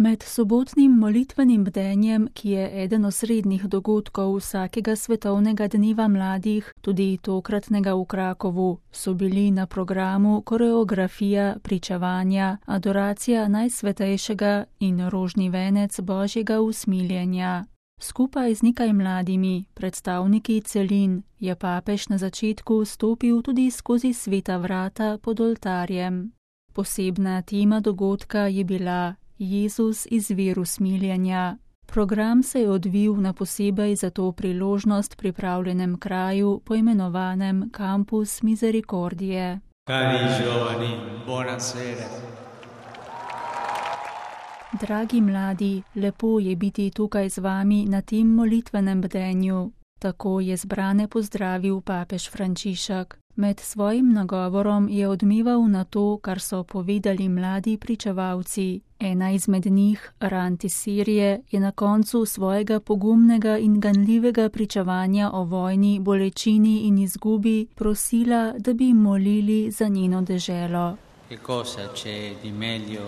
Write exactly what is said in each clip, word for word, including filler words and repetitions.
Med sobotnim molitvenim bdenjem, ki je eden osrednjih dogodkov vsakega svetovnega dneva mladih, tudi tokratnega v Krakovu, so bili na programu koreografija, pričevanja, adoracija najsvetejšega in rožni venec Božjega usmiljenja. Skupaj z nekaj mladimi, predstavniki celin, je papež na začetku stopil tudi skozi sveta vrata pod oltarjem. Posebna tema dogodka je bila Jezus izvir usmiljenja. Program se je odvil na posebej za to priložnost pripravljenem kraju, poimenovanem Campus Misericordie. Cari giovani, buonasera. Dragi mladi, lepo je biti tukaj z vami na tem molitvenem bdenju. Tako je zbrane pozdravil papež Frančišek. Med svojim nagovorom je odmeval na to, kar so povedali mladi pričevalci. Ena izmed njih, Rand iz Sirije, je na koncu svojega pogumnega in ganljivega pričevanja o vojni, bolečini in izgubi prosila, da bi molili za njeno deželo. Che cosa c'è di meglio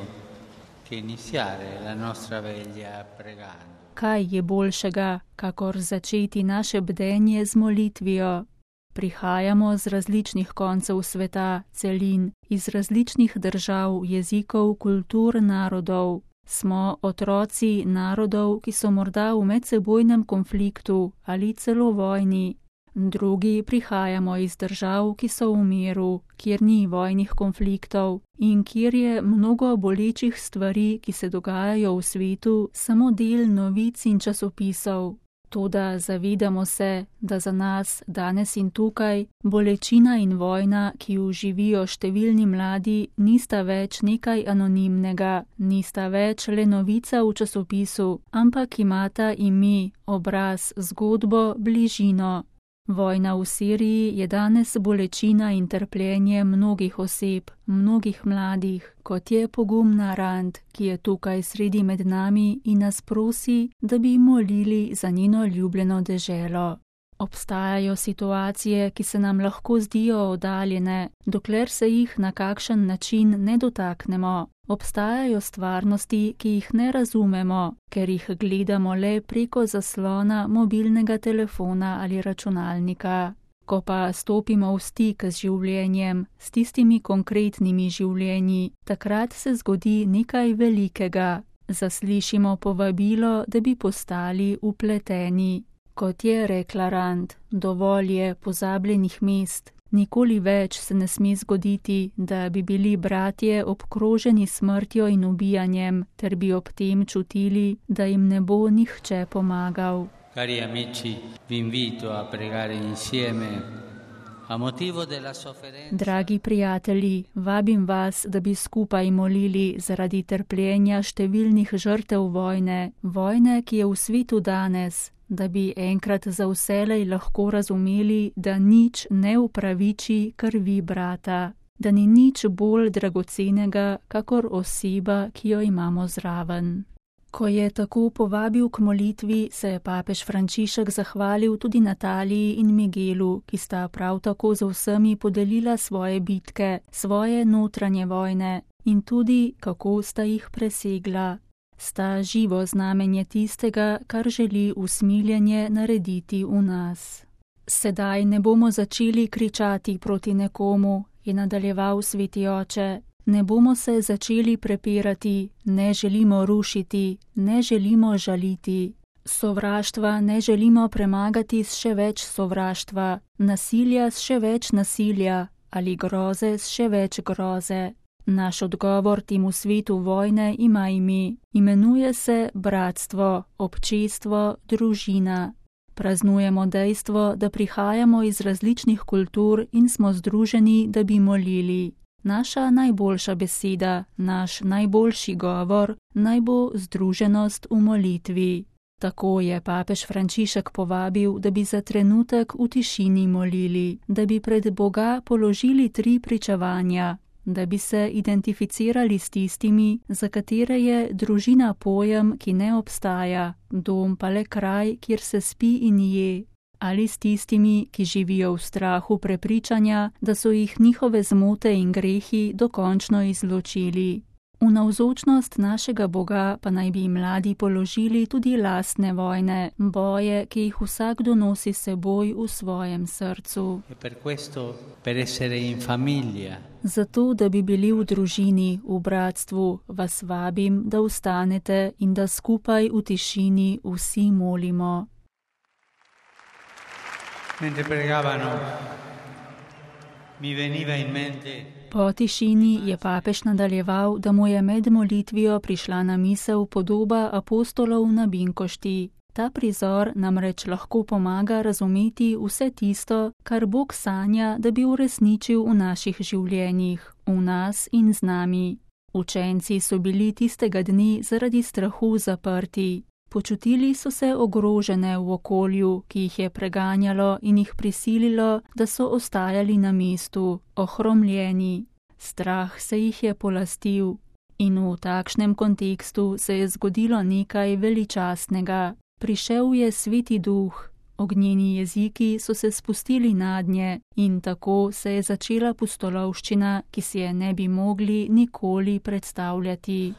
che iniziare la nostra veglia pregando? Kaj je boljšega, kakor začeti naše bdenje z molitvijo? Prihajamo z različnih koncev sveta, celin, iz različnih držav, jezikov, kultur, narodov. Smo otroci narodov, ki so morda v medsebojnem konfliktu ali celo vojni. Drugi prihajamo iz držav, ki so v miru, kjer ni vojnih konfliktov in kjer je mnogo bolečih stvari, ki se dogajajo v svetu, samo del novic in časopisov. Toda zavedamo se, da za nas danes in tukaj bolečina in vojna, ki jo živijo številni mladi, nista več nekaj anonimnega, nista več le novica v časopisu, ampak imata ime, obraz, zgodbo, bližino. Vojna v Siriji je danes bolečina in trpljenje mnogih oseb, mnogih mladih, kot je pogumna Rand, ki je tukaj sredi med nami in nas prosi, da bi molili za njeno ljubljeno deželo. Obstajajo situacije, ki se nam lahko zdijo oddaljene, dokler se jih na kakšen način ne dotaknemo. Obstajajo stvarnosti, ki jih ne razumemo, ker jih gledamo le preko zaslona mobilnega telefona ali računalnika. Ko pa stopimo v stik z življenjem, s tistimi konkretnimi življenji, takrat se zgodi nekaj velikega. Zaslišimo povabilo, da bi postali vpleteni. Kot je rekla Rand, dovolj je pozabljenih mest. Nikoli več se ne sme zgoditi, da bi bili bratje obkroženi smrtjo in ubijanjem, ter bi ob tem čutili, da jim ne bo nihče pomagal. Cari amici, vi invito a pregare insieme a motivo della sofferenza. Dragi prijatelji, vabim vas, da bi skupaj molili zaradi trpljenja številnih žrtev vojne, vojne, ki je v svetu danes, da bi enkrat za vselej lahko razumeli, da nič ne upraviči krvi brata, da ni nič bolj dragocenega, kakor oseba, ki jo imamo zraven. Ko je tako povabil k molitvi, se je papež Frančišek zahvalil tudi Nataliji in Miguelu, ki sta prav tako z vsemi podelila svoje bitke, svoje notranje vojne in tudi, kako sta jih presegla. Sta živo znamenje tistega, kar želi usmiljenje narediti v nas. Sedaj ne bomo začeli kričati proti nekomu, je nadaljeval sveti oče. Ne bomo se začeli prepirati, ne želimo rušiti, ne želimo žaliti. Sovraštva ne želimo premagati s še več sovraštva, nasilja s še več nasilja ali groze s še več groze. Naš odgovor temu svetu vojne ima ime. Imenuje se bratstvo, občestvo, družina. Praznujemo dejstvo, da prihajamo iz različnih kultur in smo združeni, da bi molili. Naša najboljša beseda, naš najboljši govor naj bo združenost v molitvi. Tako je papež Frančišek povabil, da bi za trenutek v tišini molili, da bi pred Boga položili tri pričevanja, da bi se identificirali s tistimi, za katere je družina pojem, ki ne obstaja, dom pa le kraj, kjer se spi in je, ali s tistimi, ki živijo v strahu prepričanja, da so jih njihove zmote in grehi dokončno izločili. V navzočnost našega Boga pa naj bi mladi položili tudi lastne vojne, boje, ki jih vsakdo nosi seboj v svojem srcu. E per questo, per essere in famiglia. Zato, da bi bili v družini, v bratstvu, vas vabim, da vstanete in da skupaj v tišini vsi molimo. Mentre pregavano, mi veniva in mente. Po tišini je papež nadaljeval, da mu je med molitvijo prišla na misel podoba apostolov na Binkošti. Ta prizor namreč lahko pomaga razumeti vse tisto, kar Bog sanja, da bi uresničil v naših življenjih, v nas in z nami. Učenci so bili tistega dni zaradi strahu zaprti. Počutili so se ogrožene v okolju, ki jih je preganjalo in jih prisililo, da so ostajali na mestu, ohromljeni. Strah se jih je polastil in v takšnem kontekstu se je zgodilo nekaj veličastnega. Prišel je Sveti Duh, ognjeni jeziki so se spustili nadnje in tako se je začela pustolovščina, ki si je ne bi mogli nikoli predstavljati.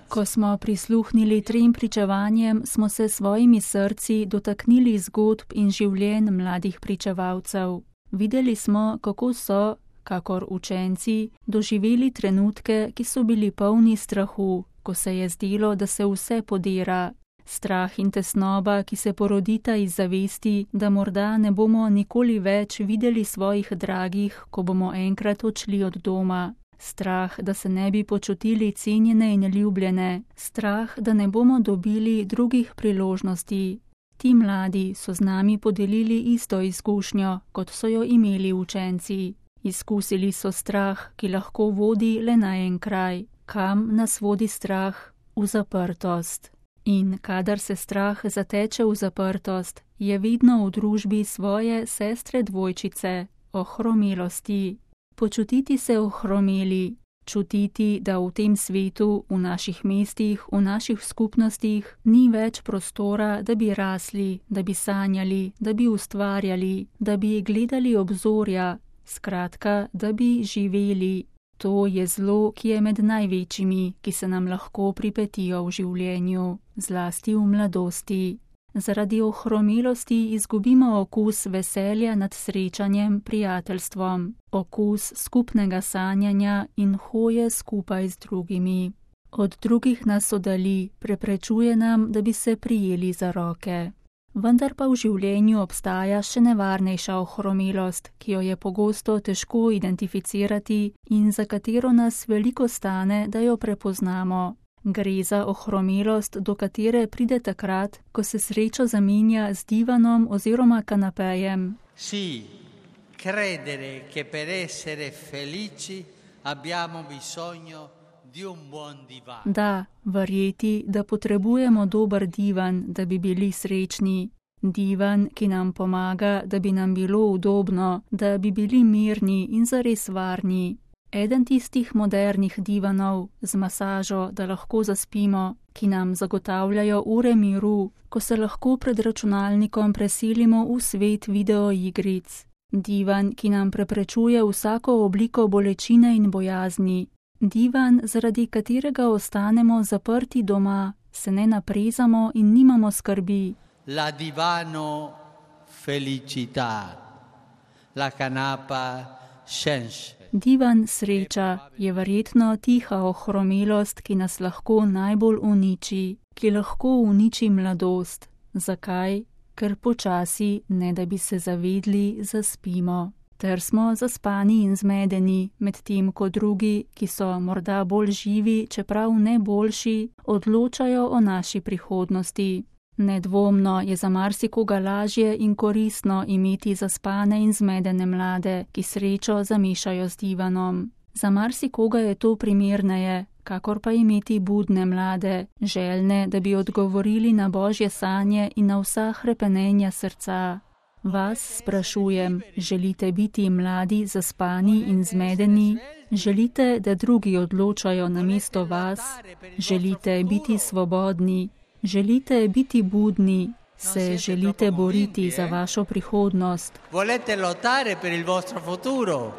Ko smo prisluhnili trem pričevanjem, smo se svojimi srci dotaknili zgodb in življenj mladih pričevalcev. Videli smo, kako so, kakor učenci, doživeli trenutke, ki so bili polni strahu, ko se je zdelo, da se vse podira. Strah in tesnoba, ki se porodita iz zavesti, da morda ne bomo nikoli več videli svojih dragih, ko bomo enkrat odšli od doma. Strah, da se ne bi počutili cenjene in ljubljene, strah, da ne bomo dobili drugih priložnosti. Ti mladi so z nami podelili isto izkušnjo, kot so jo imeli učenci. Izkusili so strah, ki lahko vodi le na en kraj. Kam nas vodi strah? V zaprtost. In kadar se strah zateče v zaprtost, je vedno v družbi svoje sestre dvojčice, ohromelosti. Počutiti se ohromeli, čutiti, da v tem svetu, v naših mestih, v naših skupnostih ni več prostora, da bi rasli, da bi sanjali, da bi ustvarjali, da bi gledali obzorja, skratka, da bi živeli. To je zlo, ki je med največjimi, ki se nam lahko pripetijo v življenju, zlasti v mladosti. Zaradi ohromelosti izgubimo okus veselja nad srečanjem, prijateljstvom, okus skupnega sanjanja in hoje skupaj z drugimi. Od drugih nas oddali, preprečuje nam, da bi se prijeli za roke. Vendar pa v življenju obstaja še nevarnejša ohromelost, ki jo je pogosto težko identificirati in za katero nas veliko stane, da jo prepoznamo. Gre za ohromelost, do katere pride takrat, ko se sreča zamenja z divanom oziroma kanapejem. Sì, credere che per essere felici abbiamo bisogno di un buon divan. Da, verjeti, da potrebujemo dober divan, da bi bili srečni. Divan, ki nam pomaga, da bi nam bilo udobno, da bi bili mirni in zares varni. Eden tistih modernih divanov z masažo, da lahko zaspimo, ki nam zagotavljajo ure miru, ko se lahko pred računalnikom preselimo v svet videoigric. Divan, ki nam preprečuje vsako obliko bolečine in bojazni. Divan, zaradi katerega ostanemo zaprti doma, se ne naprezamo in nimamo skrbi. La divano felicità, la canapa scienza. Divan sreča je verjetno tiha ohromelost, ki nas lahko najbolj uniči, ki lahko uniči mladost. Zakaj? Ker počasi, ne da bi se zavedli, zaspimo. Ter smo zaspani in zmedeni, medtem ko drugi, ki so morda bolj živi, čeprav ne boljši, odločajo o naši prihodnosti. Nedvomno je za marsikoga lažje in koristno imeti zaspane in zmedene mlade, ki srečo zamešajo z divanom. Za marsikoga je to primerneje, kakor pa imeti budne mlade, željne, da bi odgovorili na božje sanje in na vsa hrepenenja srca. Vas sprašujem, želite biti mladi, zaspani in zmedeni? Želite, da drugi odločajo namesto vas? Želite biti svobodni? Želite biti budni, se želite boriti za vašo prihodnost. Volete lottare per il vostro futuro.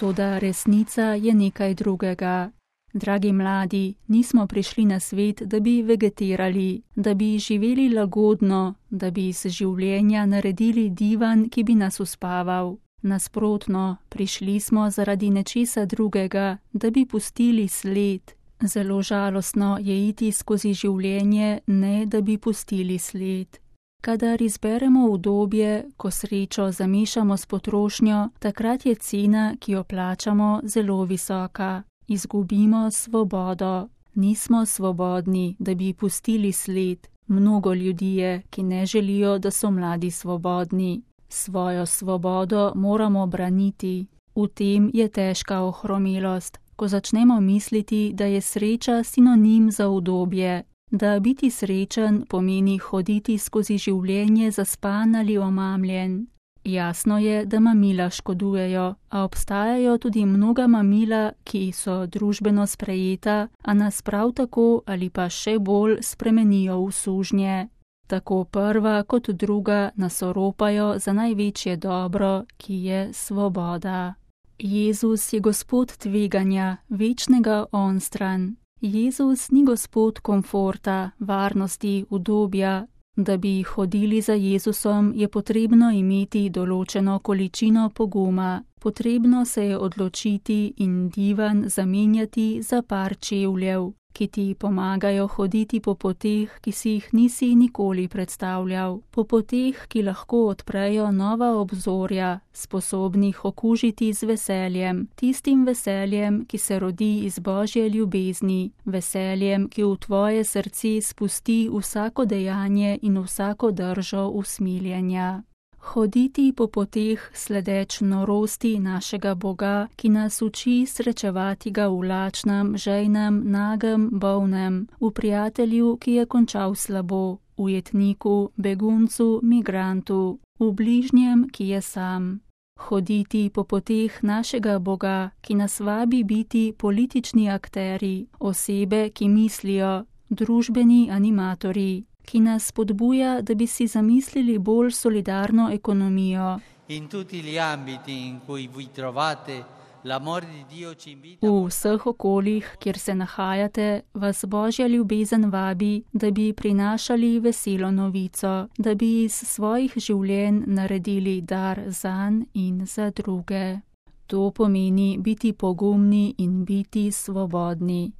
Toda resnica je nekaj drugega. Dragi mladi, nismo prišli na svet, da bi vegetirali, da bi živeli lagodno, da bi iz življenja naredili divan, ki bi nas uspaval. Nasprotno, prišli smo zaradi nečesa drugega, da bi pustili sled. Zelo žalostno je iti skozi življenje, ne da bi pustili sled. Kadar izberemo udobje, ko srečo zamešamo s potrošnjo, takrat je cena, ki jo plačamo, zelo visoka. Izgubimo svobodo. Nismo svobodni, da bi pustili sled. Mnogo ljudi je, ki ne želijo, da so mladi svobodni. Svojo svobodo moramo braniti. V tem je težka ohromelost, ko začnemo misliti, da je sreča sinonim za udobje. Da biti srečen pomeni hoditi skozi življenje zaspan ali omamljen. Jasno je, da mamila škodujejo, a obstajajo tudi mnoga mamila, ki so družbeno sprejeta, a nas prav tako ali pa še bolj spremenijo v sužnje. Tako prva kot druga nas oropajo za največje dobro, ki je svoboda. Jezus je Gospod tveganja, večnega onstran. Jezus ni Gospod komforta, varnosti, udobja. Da bi hodili za Jezusom, je potrebno imeti določeno količino poguma. Potrebno se je odločiti in divan zamenjati za par čevljev, ki ti pomagajo hoditi po poteh, ki si jih nisi nikoli predstavljal. Po poteh, ki lahko odprejo nova obzorja, sposobnih okužiti z veseljem, tistim veseljem, ki se rodi iz Božje ljubezni, veseljem, ki v tvoje srce spusti vsako dejanje in vsako držo usmiljenja. Hoditi po poteh sledeč norosti našega Boga, ki nas uči srečevati ga v lačnem, žejnem, nagem, bolnem, v prijatelju, ki je končal slabo, v jetniku, beguncu, migrantu, v bližnjem, ki je sam. Hoditi po poteh našega Boga, ki nas vabi biti politični akteri, osebe, ki mislijo, družbeni animatorji, ki nas spodbuja, da bi si zamislili bolj solidarno ekonomijo. In tutti gli ambiti in cui vi trovate, l'amore di Dio ci invita. V vseh okoljih, kjer se nahajate, vas Božja ljubezen vabi, da bi prinašali veselo novico, da bi iz svojih življenj naredili dar zanj in za druge. To pomeni biti pogumni in biti svobodni.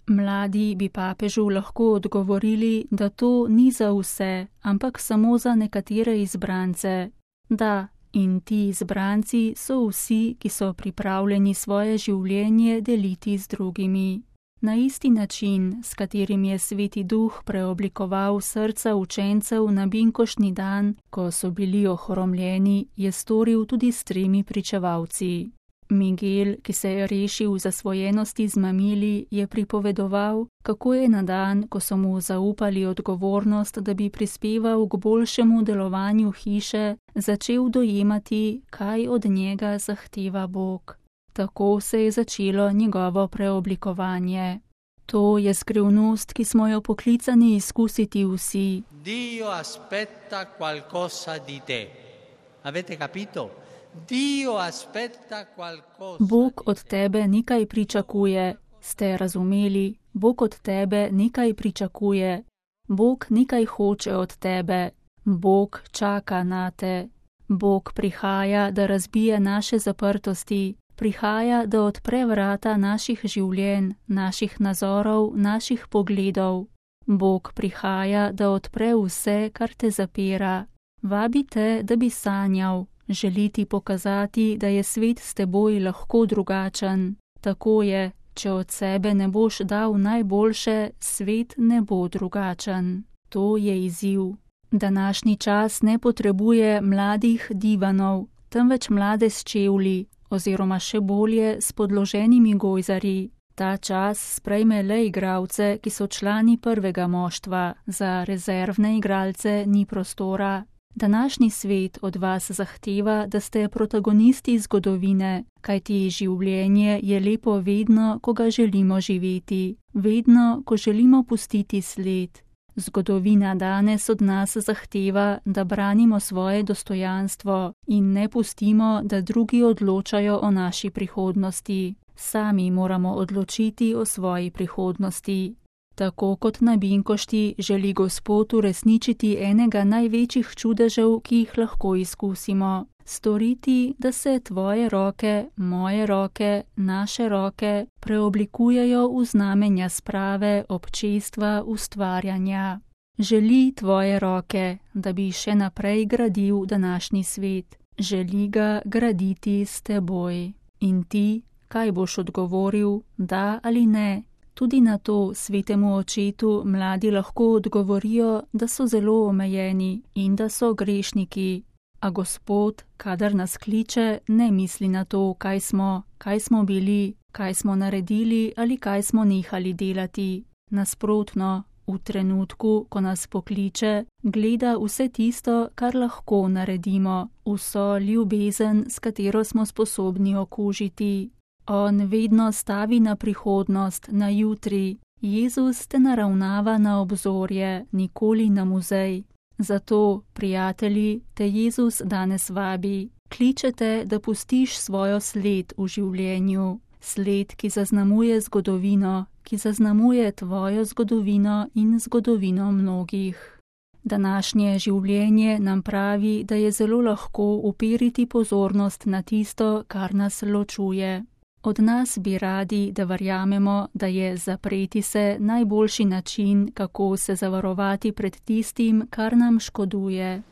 Mladi bi papežu lahko odgovorili, da to ni za vse, ampak samo za nekatere izbrance. Da, in ti izbranci so vsi, ki so pripravljeni svoje življenje deliti z drugimi. Na isti način, s katerim je Sveti Duh preoblikoval srca učencev na binkoštni dan, ko so bili ohromljeni, je storil tudi s tremi pričevalci. Miguel, ki se je rešil zasvojenosti z mamili, je pripovedoval, kako je na dan, ko so mu zaupali odgovornost, da bi prispeval k boljšemu delovanju hiše, začel dojemati, kaj od njega zahteva Bog. Tako se je začelo njegovo preoblikovanje. To je skrivnost, ki smo jo poklicani izkusiti vsi. Dio aspetta qualcosa di te. Avete capito? Dio aspetta qualcosa. Bog od tebe nekaj pričakuje. Ste razumeli? Bog od tebe nekaj pričakuje. Bog nekaj hoče od tebe. Bog čaka na te. Bog prihaja, da razbije naše zaprtosti. Prihaja, da odpre vrata naših življenj, naših nazorov, naših pogledov. Bog prihaja, da odpre vse, kar te zapira. Vabi te, da bi sanjal. Želi ti pokazati, da je svet s teboj lahko drugačen. Tako je, če od sebe ne boš dal najboljše, svet ne bo drugačen. To je izziv. Današnji čas ne potrebuje mladih divanov, temveč mlade s čevlji, oziroma še bolje s podloženimi gojzarji. Ta čas sprejme le igralce, ki so člani prvega moštva, za rezervne igralce ni prostora. Današnji svet od vas zahteva, da ste protagonisti zgodovine, kajti življenje je lepo vedno, ko ga želimo živeti, vedno, ko želimo pustiti sled. Zgodovina danes od nas zahteva, da branimo svoje dostojanstvo in ne pustimo, da drugi odločajo o naši prihodnosti. Sami moramo odločiti o svoji prihodnosti. Tako kot na Binkošti želi Gospod uresničiti enega največjih čudežev, ki jih lahko izkusimo. Storiti, da se tvoje roke, moje roke, naše roke preoblikujejo v znamenja sprave, občestva, ustvarjanja. Želi tvoje roke, da bi še naprej gradil današnji svet. Želi ga graditi s teboj. In ti, kaj boš odgovoril, da ali ne? Tudi na to svetemu očetu mladi lahko odgovorijo, da so zelo omejeni in da so grešniki. A Gospod, kadar nas kliče, ne misli na to, kaj smo, kaj smo bili, kaj smo naredili ali kaj smo nehali delati. Nasprotno, v trenutku, ko nas pokliče, gleda vse tisto, kar lahko naredimo, vso ljubezen, s katero smo sposobni okužiti. On vedno stavi na prihodnost, na jutri. Jezus te naravnava na obzorje, nikoli na muzej. Zato, prijatelji, te Jezus danes vabi. Kličete, da pustiš svojo sled v življenju. Sled, ki zaznamuje zgodovino, ki zaznamuje tvojo zgodovino in zgodovino mnogih. Današnje življenje nam pravi, da je zelo lahko uperiti pozornost na tisto, kar nas ločuje. Od nas bi radi, da verjamemo, da je zapreti se najboljši način, kako se zavarovati pred tistim, kar nam škoduje.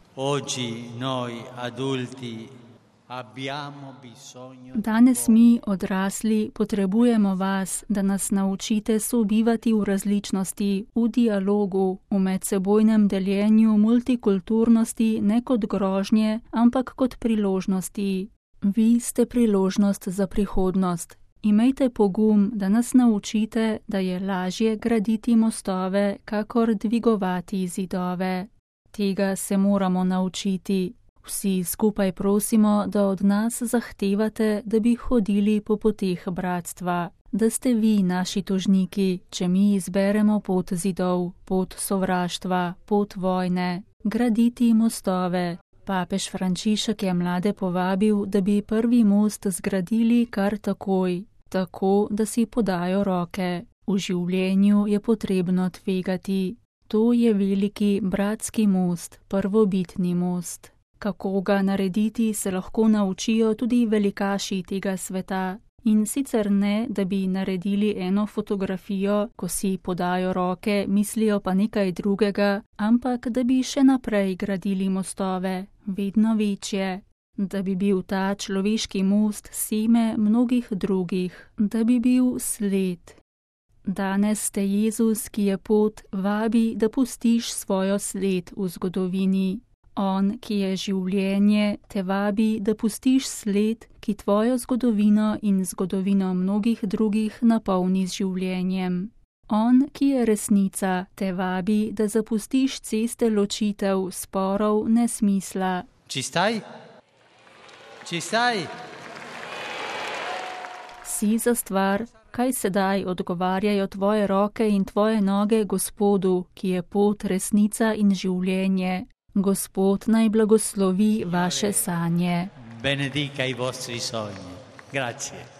Danes mi, odrasli, potrebujemo vas, da nas naučite sobivati v različnosti, v dialogu, v medsebojnem deljenju multikulturnosti ne kot grožnje, ampak kot priložnosti. Vi ste priložnost za prihodnost. Imejte pogum, da nas naučite, da je lažje graditi mostove, kakor dvigovati zidove. Tega se moramo naučiti. Vsi skupaj prosimo, da od nas zahtevate, da bi hodili po poteh bratstva. Da ste vi naši tožniki, če mi izberemo pot zidov, pot sovraštva, pot vojne. Graditi mostove. Papež Frančišek je mlade povabil, da bi prvi most zgradili kar takoj, tako da si podajo roke. V življenju je potrebno tvegati. To je veliki bratski most, prvobitni most. Kako ga narediti, se lahko naučijo tudi velikaši tega sveta. In sicer ne, da bi naredili eno fotografijo, ko si podajo roke, mislijo pa nekaj drugega, ampak da bi še naprej gradili mostove, vedno večje. Da bi bil ta človeški most seme mnogih drugih, da bi bil sled. Danes te Jezus, ki je pot, vabi, da pustiš svojo sled v zgodovini. On, ki je življenje, te vabi, da pustiš sled, ki tvojo zgodovino in zgodovino mnogih drugih napolni z življenjem. On, ki je resnica, te vabi, da zapustiš ceste ločitev, sporov, nesmisla. Ci stai? Ci stai? Si za stvar, kaj sedaj odgovarjajo tvoje roke in tvoje noge Gospodu, ki je pot, resnica in življenje. Gospod naj blagoslovi vaše sanje. Benedica i vostri sogni. Grazie.